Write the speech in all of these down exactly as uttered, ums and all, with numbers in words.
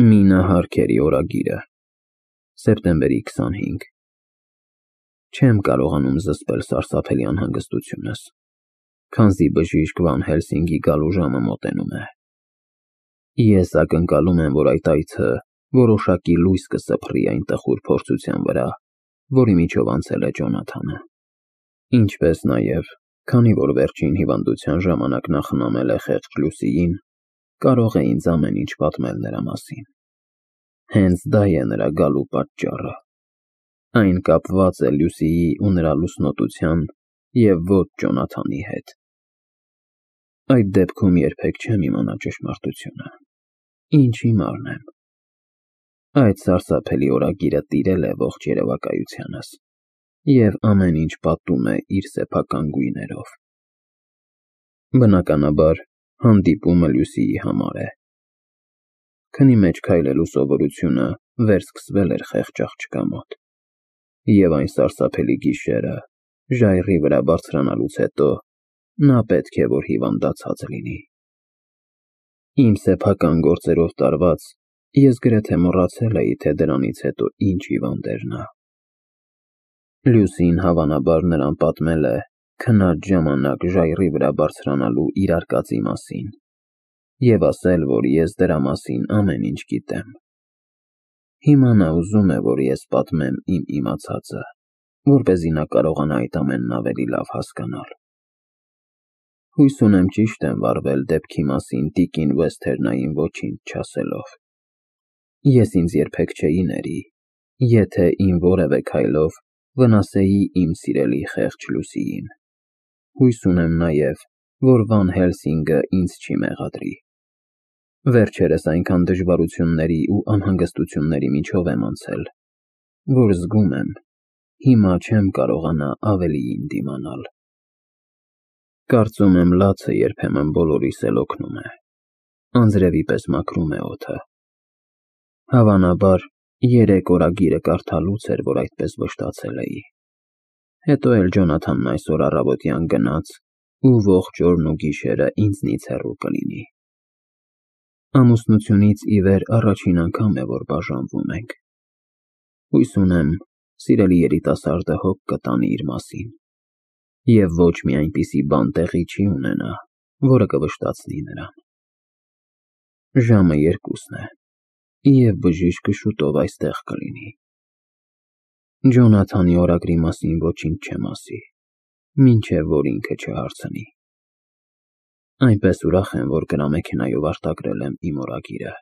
Մինա Հարքերի օրագիրը, սեպտեմբերի քսանհինգ Չեմ կարողանում զսպել սարսափելի անհանգստությունս, քանզի բժիշկ Վան Հելսինգի գալու ժամը մոտենում է։ Ես ակնկալում եմ, որ այդ այցը որոշակի լույս կսփռի այն տխուր փորձության վրա, որի միջով անցել է Ջոնաթանը, ինչպես նաև, քանի որ վերջին հիվանդության ժամանակ նա խնամել է խեղճ Լուսիին, կարող է ինձ ամեն ինչ պատմել նրա մասին։ Հենց դա է նրա գալու պատճառը։ Այն կապված է Լուսիի ու նրա լուսնոտության և ոչ Ջոնաթանի հետ։ Այդ դեպքում երբեք չեմ իմանա ճշմարտությունը, ինչ հիմարն եմ։ Այդ սարսափելի օրագիրը տիրել է ողջ երևակայությանս և ամեն ինչ պատում է իր սեփական գույներով։ Բնականաբար, հանդիպումը Լուսիի համար է։ Քնի մեջ քայլելու սովորությունը վերսկսվել էր խեղճ աղջկա մոտ, և այն սարսափելի գիշերը, ժայռի վրա բարձրանալուց հետո, նա պետք է որ հիվանդացած լինի։ Իմ սեփական գործերով տարված, ես գրեթե մոռացել էի, թե դրանից հետո ինչ հիվանդ էր նա։ Լուսին հավանաբար նրան պատմել է քնած ժամանակ ժայռի վրա բարձրանալու իր արկածի մասին և ասել, որ ես դրա մասին ամեն ինչ գիտեմ։ Հիմա նա ուզում է, որ ես պատմեմ իմ իմացածը, որպեսզի նա կարողանա այդ ամենն ավելի լավ հասկանալ։ Հույս ունեմ ճիշտ եմ վարվել դեպքի մասին տիկին Վեսթերնային ոչինչ չասելով։ Ես ինձ երբեք չէի ների, եթե իմ որևէ քայլով վնասեի իմ սիրելի խեղճ Լուսիին։ Հույս ունեմ նաև, որ Վան Հելսինգը ինձ չի մեղադրի։ Վերջերս այնքան դժվարությունների ու անհանգստությունների միջով եմ անցել, որ զգում եմ, հիմա չեմ կարողանա ավելիին դիմանալ։ Կարծում եմ լացը երբեմն բոլորիս էլ օգնում է, անձրևի պես մաքրում է օդը։ Հավանաբար, երեկ օրագիրը կարդալուց էր, որ այդպես վշտացել էի։ Հետո էլ Ջոնաթանն այսօր առավոտյան գնաց ու ողջ օրն ու գիշերը ինձնից հեռու կլինի։ Ամուսնությունից ի վեր առաջին անգամ է, որ բաժանվում ենք։ Հույս ունեմ, սիրելի երիտասարդը հոգ կտանի իր մասին և ոչ մի այնպիսի բան տեղի չի ունենա, որը կվշտացնի նրան։ Ժամը երկուսն է, և բժիշկը շուտով այստեղ կլինի։ Ջոնաթանի օրագրի մասին ոչինչ չեմ ասի, մինչև որ ինքը չհարցնի։ Այնպես ուրախ եմ, որ գրամեքենայով արտագրել եմ իմ օրագիրը։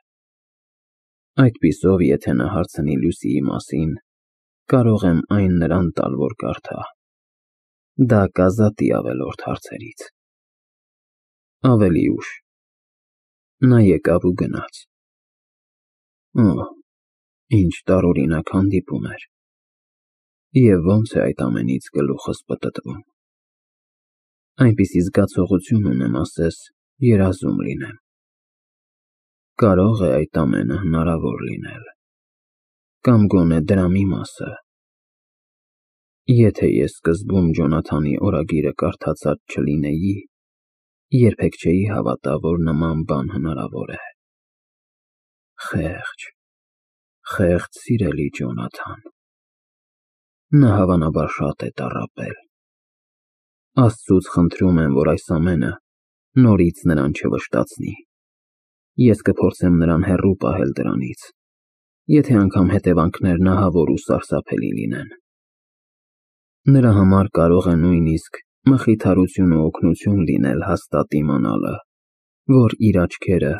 Այդպիսով, եթե նա հարցնի Լուսիի մասին, կարող եմ այն նրան տալ, որ կարդա։ Դա կազատի ավելորդ հարցերից։ Ավելի ուշ։ Նա եկավ ու գնաց։ Օհ, ինչ տարօրինակ հանդիպում էր։ Եվ ոնց է այդ ամենից գլուխս պտտվում։ Այնպիսի զգացողություն ունեմ, ասես երազում լինեմ։ Կարո՞ղ է այդ ամենը հնարավոր լինել։ Կամ գոնե դրա մի մասը։ Եթե ես սկզբում Ջոնաթանի օրագիրը կարդացած չլինեի, երբեք չէի հավատա, որ նման բան հնարավոր է։ Խեղճ, խեղճ սիրելի Ջոնաթան։ Նա հավանաբար շատ է տառապել։ Աստծուց խնդրում եմ, որ այս ամենը նորից նրան չվշտացնի։ Ես կփորձեմ նրան հեռու պահել դրանից, եթե անգամ հետևանքներն ահավոր ու սարսափելի լինեն։ Նրա համար կարող է նույնիսկ մխիթարություն ու օգնություն լինել հաստատ իմանալը, որ իր աչքերը,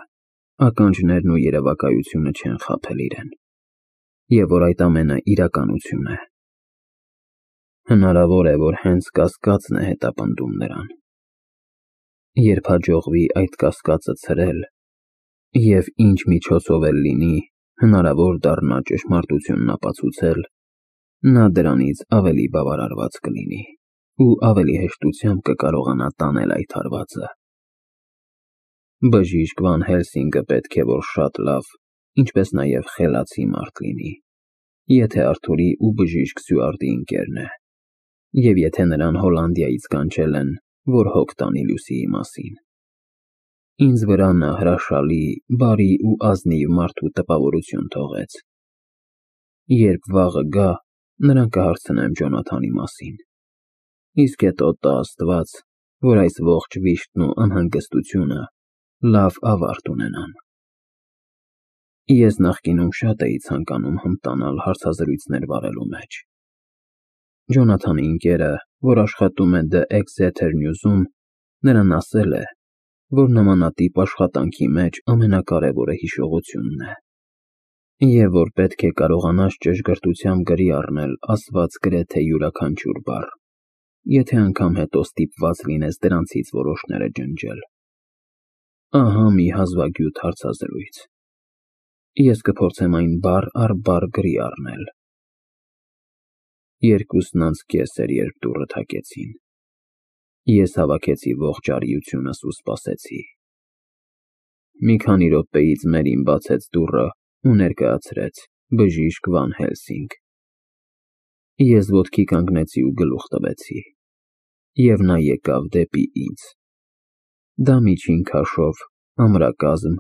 ականջներն ու երևակայությունը չեն խաբել իրեն, և որ այդ ամենը իրականություն է։ Հնարավոր է, որ հենց կասկածն է հետապնդում նրան։ Երբ հաջողվի այդ կասկածը ցրել, և ինչ միջոցով էլ լինի, հնարավոր դառնա ճշմարտությունն ապացուցել, նա դրանից ավելի բավարարված կլինի ու ավելի հեշտությամբ կկարողանա տանել այդ հարվածը։ Բժիշկ Վան Հելսինգը պետք է որ շատ լավ, ինչպես նաև խելացի մարդ լինի, եթե Արթուրի ու բժիշկ Սյուարտի ընկերն է, և եթե նրան Հոլանդիայից կանչել են, որ հոգ տանի Լուսիի մասին։ Ինձ վրա նա հրաշալի, բարի ու ազնիվ մարդու տպավորություն թողեց։ Երբ վաղը գա, նրան կհարցնեմ Ջոնաթանի մասին։ Իսկ հետո տա Աստված, որ այս ողջ վիշտն ու անհանգստությունը լավ ավարտ ունենան։ Ես նախկինում շատ էի ցանկանում հմտանալ հարցազրույցներ վարելու մեջ։ Ջոնաթանի ընկերը, որ աշխատում է The Exeter News-ում, նրան ասել է, որ նմանատիպ աշխատանքի մեջ ամենակարևորը հիշողությունն է, և որ պետք է կարողանաս ճշգրտությամբ գրի առնել ասված գրեթե յուրաքանչյուր բառ, եթե անգամ հետո ստիպված լինես դրանցից որոշները ջնջել։ Ահա մի հազվագյուտ հարցազրույց։ Ես կփորձեմ այն բառ առ բառ գրի առնել։ Երկուսն անց կես էր, երբ դուռը թակեցին։ Ես հավաքեցի ողջ արիությունս ու սպասեցի։ Մի քանի րոպեից Մերին բացեց դուռը ու ներկայացրեց բժիշկ Վան Հելսինգ։ Ես ոտքի կանգնեցի ու գլուխ տվեցի, և նա եկավ դեպի ինձ։ Դա միջին քաշով, ամրակազմ,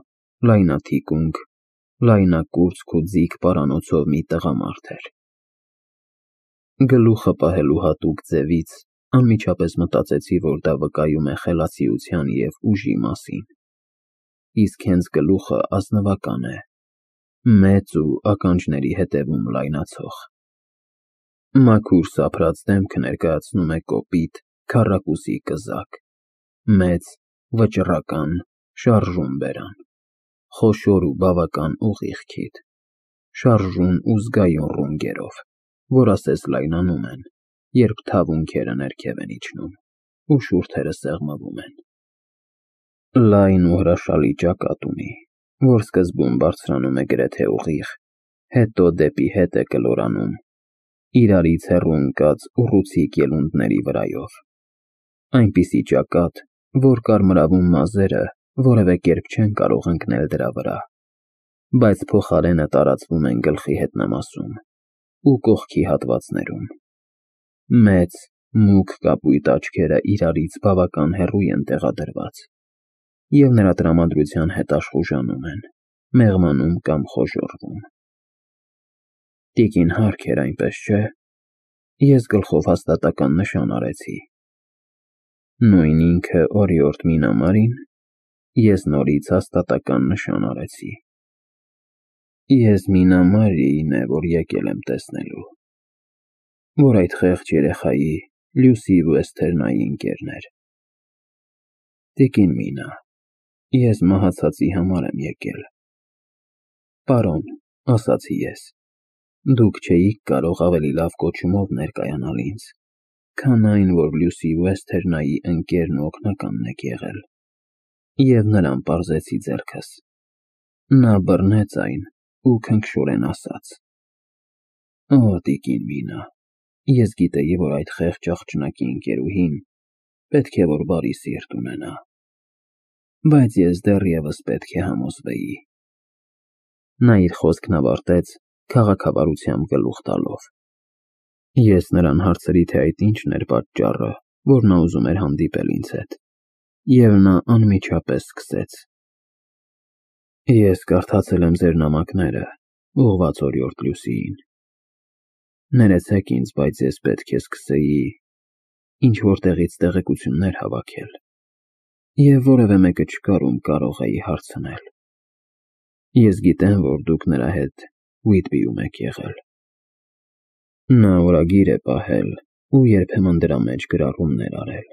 լայնաթիկունք, լայնակուրծք ու ձիգ պարանոցով մի տղամարդ էր։ Գլուխը պահելու հատուկ ձևից անմիջապես մտածեցի, որ դա վկայում է խելացիության և ուժի մասին, իսկ հենց գլուխը ազնվական է, մեծ ու ականջների հետևում լայնացող։ Մաքուր սափրած դեմքը ներկայացնում է կոպիտ, քառակուսի կզակ, մեծ, վճռական, շարժուն բերան, խոշոր ու բավական ուղիղ քիթ, շարժուն ու զգայուն ռունգերով, որ ասես լայնանում են, երբ թավունքերը ներքև են իջնում, ու շուրթերը սեղմվում են։ Լայն ու հրաշալի ճակատ ունի, որ սկզբում բարձրանում է գրեթե ուղիղ, հետո դեպի հետ է կլորանում, իրարից հեռու ընկած ուռուցիկ ելունդների վրայով։ Այնպիսի ճակատ, որ կարմրավուն մազերը որևէ կերպ չեն կարող ընկնել դրա վրա, բայց փոխարենը տարածվում են գլխի հետնամասում ու կողքի հատվածներում։ Մեծ, մուգ կապույտ աչքերը իրարից բավական հեռու են տեղադրված, և նրա տրամադրության հետ աշխուժանում են, մեղմանում կամ խոժոռվում։ Տիկին Հարք էր, այնպես չէ՞։ Ես գլխով հաստատական նշան արեցի։ Նույն ինքը օրիորդ Մինամարի՞ն։ Ես նորից հաստատական նշան արեցի։ Ես Մինամարիին է, որ եկել եմ տեսնելու, որ այդ խեղճ երեխայի՝ Լյուսի Վեսթերնայի ընկերն էր։ Տիկին Մինա, ես մահացածի համար եմ եկել։ Պարոն, ասացի ես, դուք չէիք կարող ավելի լավ կոչումով ներկայանալ ինձ, քան այն, որ Լյուսի Վեսթերնայի ընկերն ու օգնականն եք եղել, և նրան պարզեցի ձեռքս։ Նա բռնեց այն ու քնքշորեն ասաց. Օ, տիկին Մինա, ես գիտեի, որ այդ խեղճ աղջնակի ընկերուհին պետք է որ բարի սիրտ ունենա, բայց ես դեռևս պետք է համոզվեի։ Նա իր խոսքն ավարտեց քաղաքավարությամբ գլուխ տալով։ Ես նրան հարցրի, թե այդ ինչն էր պատճառը, որ նա ուզում էր հանդիպել ինձ հետ, և նա անմիջապես սկսեց. Ես կարդացել եմ ձեր նամակները, ուղղված օրիորդ Լյուսիին։ Ներեցեք ինձ, բայց ես պետք է սկսեի ինչ-որ տեղից տեղեկություններ հավաքել, և որևէ մեկը չկար, ում կարող էի հարցնել։ Ես գիտեմ, որ դուք նրա հետ Ուիտբիում եք եղել։ Նա օրագիր է պահել ու երբեմն դրա մեջ գրառումներ արել։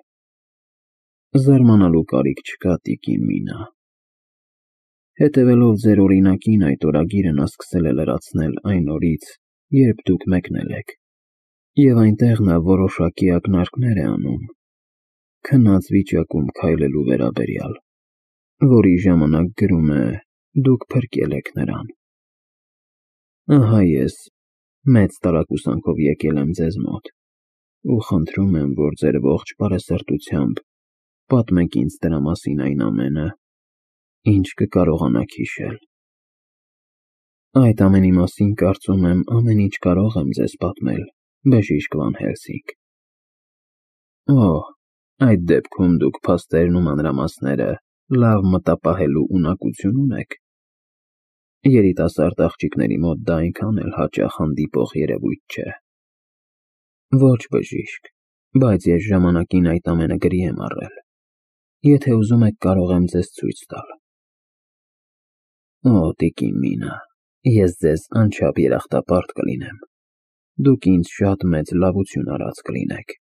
Զարմանալու կարիք չկա, տիկին Մինա։ Հետևելով ձեր օրինակին, այդ օրագիրը նա սկսել է լրացնել այն օրից, երբ դուք մեկնել եք, և այնտեղ նա որոշակի ակնարկներ է անում քնած վիճակում քայլելու վերաբերյալ, որի ժամանակ գրում է դուք փրկել եք նրան։ Ահա ես մեծ տարակուսանքով եկել եմ ձեզ մոտ ու խնդրում եմ, որ ձեր ողջ բարեսրտությամբ պատմեք ինձ դրա մասին այն ամենը, ինչ կկարողանաք հիշել։ Այդ ամենի մասին, կարծում եմ, ամեն ինչ կարող եմ ձեզ պատմել, բժիշկ Վան Հելսինգ։ Օ, այդ դեպքում դուք փաստերն ու մանրամասները Լավ մտապահելու ունակություն ունեք։ Երիտասարդ աղջիկների մոտ դա այնքան էլ հաճախ հանդիպող երևույթ չէ։ Ոչ, բժիշկ, բայց ես ժամանակին այդ ամենը գրի եմ առել։ Եթե ուզում եք, կարող եմ ձեզ ցույց տալ։ Օ, տիկին Մինա, ես ձեզ անչափ երախտապարտ կլինեմ։ Դուք ինձ շատ մեծ լավություն արած կլինեք։